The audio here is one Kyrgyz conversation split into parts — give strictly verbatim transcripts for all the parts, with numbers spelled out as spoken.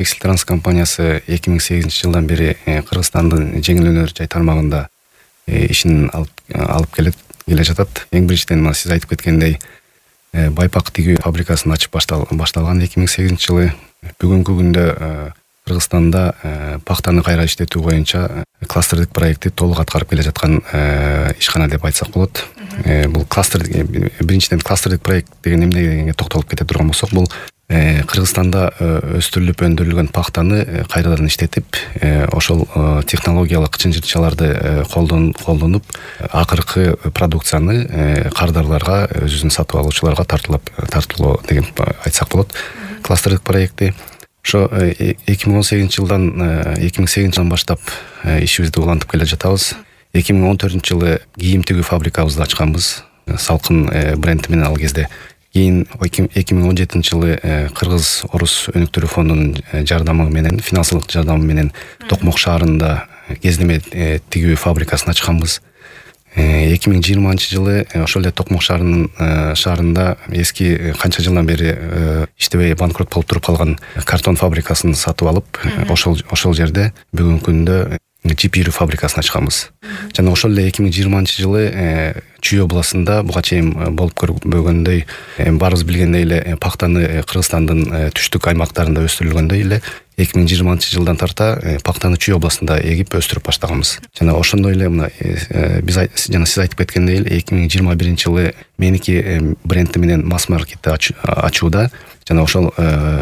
Текстиль Транс компаниясы эки миң сегизинчи жылдан бери Кыргызстандын жеңил өнөр жай тармагында ишин алып келет келе жатат. Эң биринчиден мына сиз айтып кеткендей байпак тигүү фабрикасын ачып башталган эки миң сегизинчи жылы. Бүгүнкү күндө Кыргызстанда пактаны кайра иштетүү боюнча кластердик проекти толук аткарып келе жаткан ишкана деп айтсак болот. Бул кластер биринчиден кластердик проект деген эмне дегенге токтолуп кете турган болсок, бул Кыргызстанда өстүрүлүп өндүрүлгөн пактаны кайрадан иштетип, ошол технологиялык чынжырчаларды колдонуп, акыркы продукцияны кардарларга, өзүнүн сатып алуучуларга тартуулоо деген айтсак болот. Кластердик проекти ошо эки миң он сегизинчи жылдан эки миң сегизинчи жылдан баштап ишибизди улантып келе жатабыз. эки миң он төртүнчү жылы кийим тигүү фабрикабызды ачканбыз. Салкын бренди менен ал кезде. Кийин эки миң он жетинчи жылы Кыргыз Орус өнүктүрүү фондунун жардамы менен, финансылык жардамы менен Токмок шаарында кездеме тигүү фабрикасын ачканбыз. эки миң жыйырманчы жылы ошол эле Токмок шаарынын шаарында эски канча жылдан бери иштебей банкрот болуп туруп калган картон фабрикасын сатып алып, ошол ошол жерде бүгүнкү күндө жип ирүү фабрикасын ачканбыз. Жана ошол эле эки миң жыйырманчы жылы Чүй областында буга чейин болуп көрбөгөндөй, баарыбыз билгендей эле пактаны Кыргызстандын түштүк аймактарында өстүрүлгөндөй эле эки миң жыйырманчы жылдан тарта пактаны Чүй областында эгип өстүрүп баштаганбыз. Жана ошондой эле мына биз жана сиз айтып кеткендей эле эки миң жыйырма биринчи жылы меники бренди менен масс маркетти ачууда, жана ошол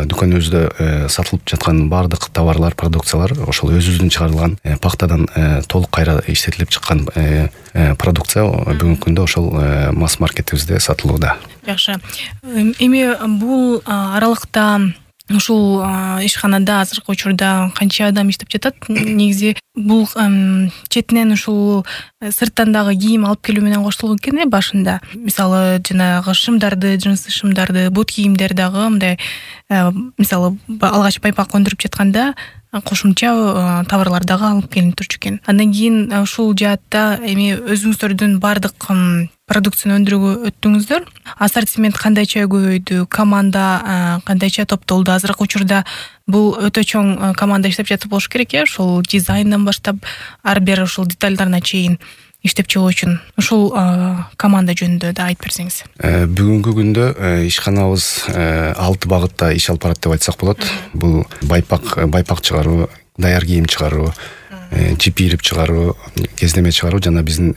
дүкөнүбүздө сатылып жаткан баардык товарлар, продукциялар ошол өзүбүздүн чыгарылган пактадан толук кайра иштетилип чыккан продукция бүгүнкү күндө ошол масс маркетибизде сатылууда. Жакшы. Эми бул аралыкта ушул ишканада азыркы учурда канча адам иштеп жатат? Негизи бул четинен ушул сырттан дагы кийим алып келүү менен коштолгон экен башында. Мисалы, жанагы шымдарды, джинсы шымдарды, бут кийимдер дагы мындай, мисалы, алгач байпак өндүрүп жатканда кошумча товарлар дагы алып келинип турчу экен. Андан кийин ушул жаатта эми өзүңүздөрдүн бардык продукцияны өндүрүүгө өттүңүздөр. Ассортимент кандайча көбөйдү, команда кандайча топтолду? Азыркы учурда бул өтө чоң команда иштеп жатып болуш керек, э? Ушул дизайндан баштап ар бир ушул детальдарына чейин иштеп чыгуу үчүн ушул команда жөнүндө да айтып берсеңиз. Бүгүнкү күндө ишканабыз алты багытта иш алып барат деп айтсак болот. Бул байпак байпак чыгаруу, даяр кийим чыгаруу, жип ирип чыгаруу, кездеме чыгаруу жана биздин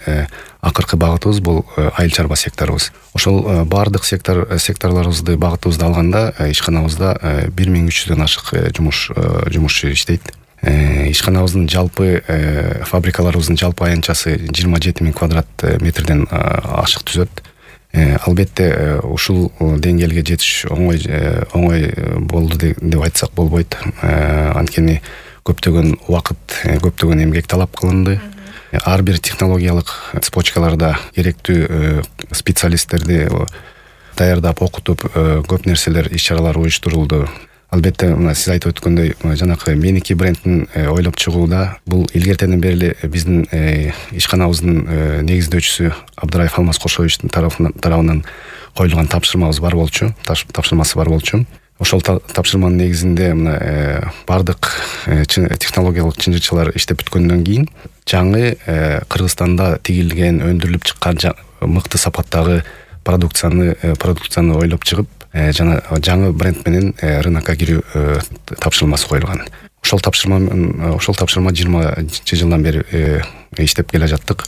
акыркы багытыбыз бул айыл чарба секторубуз. Ошол баардык сектор секторлорубузду багытыбызды алганда ишканабызда бир миң үч жүздөн ашык жумуш жумушчу иштейт. Ишканабыздын жалпы фабрикаларыбыздын жалпы аянтчасы жыйырма жети миң квадрат метрден ашык түзөт. Албетте ушул деңгээлге жетиш оңой оңой болду деп айтсак болбойт. Анткени көптөгөн убакыт, көптөгөн эмгек талап кылынды. Ар бир технологиялык цепочкаларда керектүү специалисттерди даярдап, окутуп, көп нерселер, иш-чаралар уюштурулду. Албетте, сиз айтып өткөндөй, жанакы меники брендин ойлоп чыгууда бул илгертеден бери биздин ишканабыздын негиздөөчүсү Абдыраев Алмаз Кошовичтин тарабынан коюлган тапшырмабыз бар болчу, тапшырмасы бар болчу. Ошол тапшырманын негизинде мына бардык технологиялык чынжырчалар иштеп бүткөндөн кийин жаңы Кыргызстанда тигилген, өндүрүлүп чыккан мыкты сапаттагы продукцияны продукцияны ойлоп чыгып, жана жаңы бренд менен рынокко кирүү тапшырмасы коюлган. Ошол тапшырма ошол тапшырма жыйырманчы жылдан бери иштеп келе жаттык.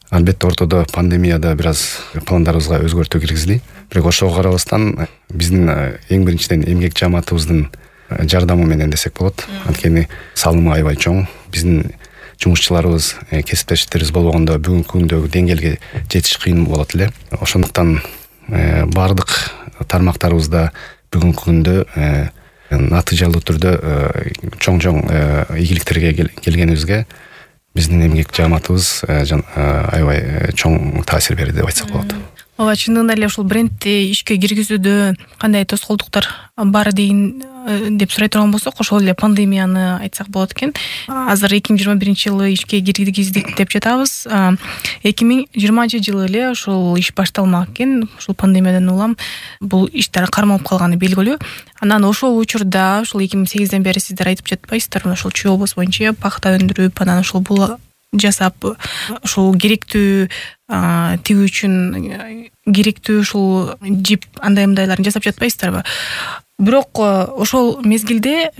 Албетте ортодо пандемияда бир аз пландарыбызга өзгөртүү киргизди. Бирок ошого карабастан биздин эң биринчиден эмгек жааматыбыздын жардамы менен десек болот. Анткени салымы аябай чоң. Биздин жумушчуларыбыз, кесиптештерибиз болбогондо бүгүнкү күндөгү деңгээлге жетиш кыйын болот эле. Ошондуктан бардык тармактарыбызда бүгүнкү күндө натыйжалуу түрдө чоң-чоң ийгиликтерге келгенибизге биздин эмгек жааматыбыз аябай чоң таасир берди деп айтсак болот. ооба, чындыгында эле ушул брендти ишке киргизүүдө кандай тоскоолдуктар бар деген деп сурай турган болсок, ошол эле пандемияны айтсак болот экен. Азыр эки миң жыйырма биринчи жылы ишке киргиздик деп жатабыз. эки миң жыйырманчы жылы эле ушул иш башталмак экен. Ушул пандемиядан улам бул иштер кармалып калганы белгилүү. Анан ошол учурда ушул эки миң сегизден бери сиздер айтып жатпайсыздарбы, ошол Чүй облусу боюнча пахта өндүрүп, анан ошол бул жасап, ошол керектүү тигүү үчүн керектүү ушул жип андай мындайларын жасап жатпайсыздарбы? Бирок ошол мезгилде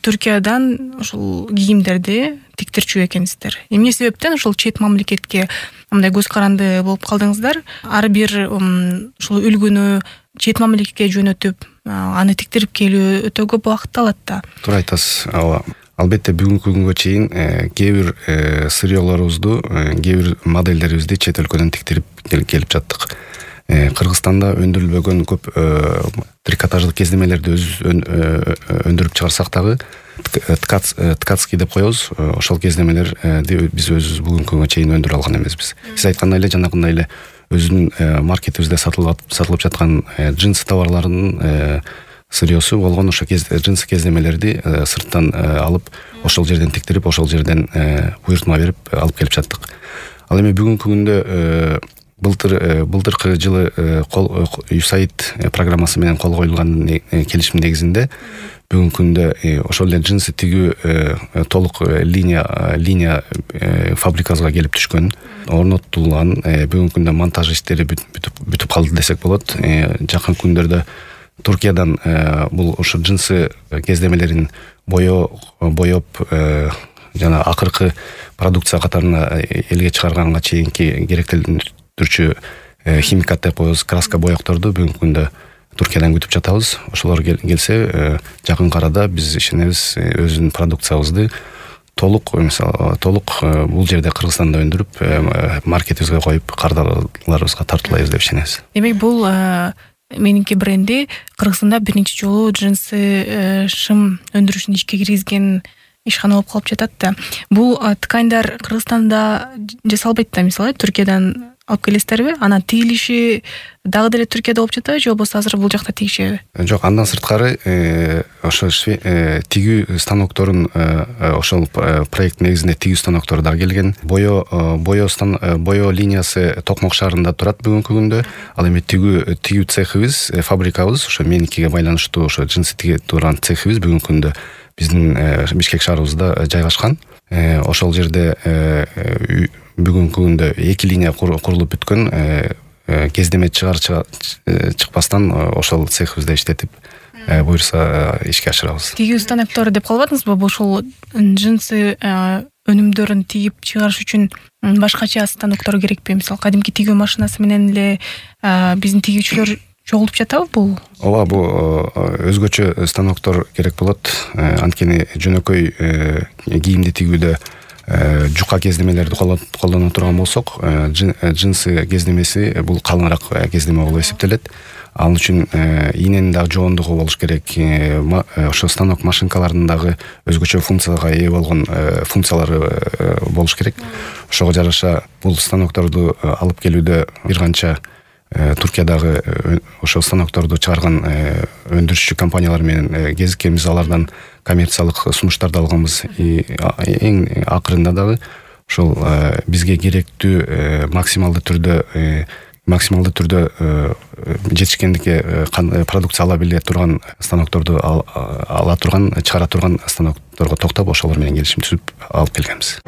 Түркиядан ушул кийимдерди тиктирчү экенсиздер. Эмне себептен ушул чет мамлекетке мындай көз каранды болуп калдыңыздар? Ар бир ушул үлгүнү чет мамлекетке жөнөтүп, аны тиктирип келүү өтө көп убакытты алат да. Туура айтасыз. Ооба. Албетте бүгүнкү күнгө чейин кээ бир сырьёлорубузду, кээ бир модельдерибизди чет өлкөдөн тиктирип келип жаттык. Кыргызстанда өндүрүлбөгөн көп трикотаждык кездемелерди өз өндүрүп чыгарсак дагы ткацкий деп коебуз. Ошол кездемелерди биз өзүбүз бүгүнкү күнгө чейин өндүрө алган эмеспиз. Сиз айткандай эле, жанагындай эле өзүнүн маркетибизде сатылып сатылып жаткан джинс товарларынын сырьёсу болгон ошо джинс кездемелерди сырттан алып, ошол жерден тиктирип, ошол жерден буйртма берип алып келип жаттык. Ал эми бүгүнкү күндө былтыр былтыркы жылы ю эс эй ай ди программасы менен кол коюлган келишим негизинде бүгүнкү күндө ошол эле джинсы тигүү толук линия линия фабрикабызга келип түшкөн, орнотулган. Бүгүнкү күндө монтаж иштери бүтүп бүтүп калды десек болот. Жакын күндөрдө Туркиядан бул ошо джинсы кездемелерин боё боёп жана акыркы продукция катарына элге чыгарганга чейинки керектелдирчү химикат деп коебуз, краска, боёкторду бүгүнкү күндө Туркиядан күтүп жатабыз. Ошолор келсе, жакын арада биз ишенебиз өзүнүн продукциябызды толук, мисалы, толук бул жерде Кыргызстанда өндүрүп, маркетибизге коюп, кардарларыбызга тартуулайбыз деп ишенебиз. Демек, бул менинки бренди Кыргызстанда биринчи жолу джинсы шым өндүрүшүн ишке киргизген ишкана болуп калып жатат да. Бул тканьдар Кыргызстанда жасалбайт да, мисалы, Түркиядан алып келесиздерби? Анан тигилиши дагы деле Түркияда болуп жатабы, же болбосо азыр бул жакта тигишеби? Жок, андан сырткары ошо тигүү станокторун, ошол проект негизинде тигүү станоктору дагы келген. Боё боё боё линиясы Токмок шаарында турат бүгүнкү күндө. Ал эми тигүү тигүү цехибиз, фабрикабыз, ошо меникиге байланыштуу ошо джинсы тиге турган цехибиз бүгүнкү күндө биздин Бишкек шаарыбызда жайгашкан. Ошол жерде бүгүнкү күндө эки линия курулуп бүткөн. Кездеме чыгар чыкпастан ошол цехибизде иштетип, буюрса ишке ашырабыз. Тигүү станоктору деп калбадыңызбы? Ошол джинсы өнүмдөрүн тигип чыгарыш үчүн башкача станоктор керекпи? Мисалы, кадимки тигүү машинасы менен эле биздин тигүүчүлөр чогулуп жатабы бул? Ооба, бул өзгөчө станоктор керек болот. Анткени жөнөкөй кийимди тигүүдө жука кездемелерди колдоно турган болсок, джинсы кездемеси бул калыңыраак кездеме болуп эсептелет. Ал үчүн ийненин дагы жоондугу болуш керек. Ошо станок машинкаларынын дагы өзгөчө функцияга ээ болгон функциялары болуш керек. Ошого жараша бул станокторду алып келүүдө бир канча Туркиядагы ошо станокторду чыгарган өндүрүшчү компаниялар менен кезиккенбиз, алардан коммерциялык сунуштарды алганбыз. Эң акырында дагы ошол бизге керектүү максималдуу түрдө максималдуу түрдө жетишкендикке продукция ала биле турган станокторду ала турган, чыгара турган станокторго токтоп, ошолор менен келишим түзүп алып келгенбиз.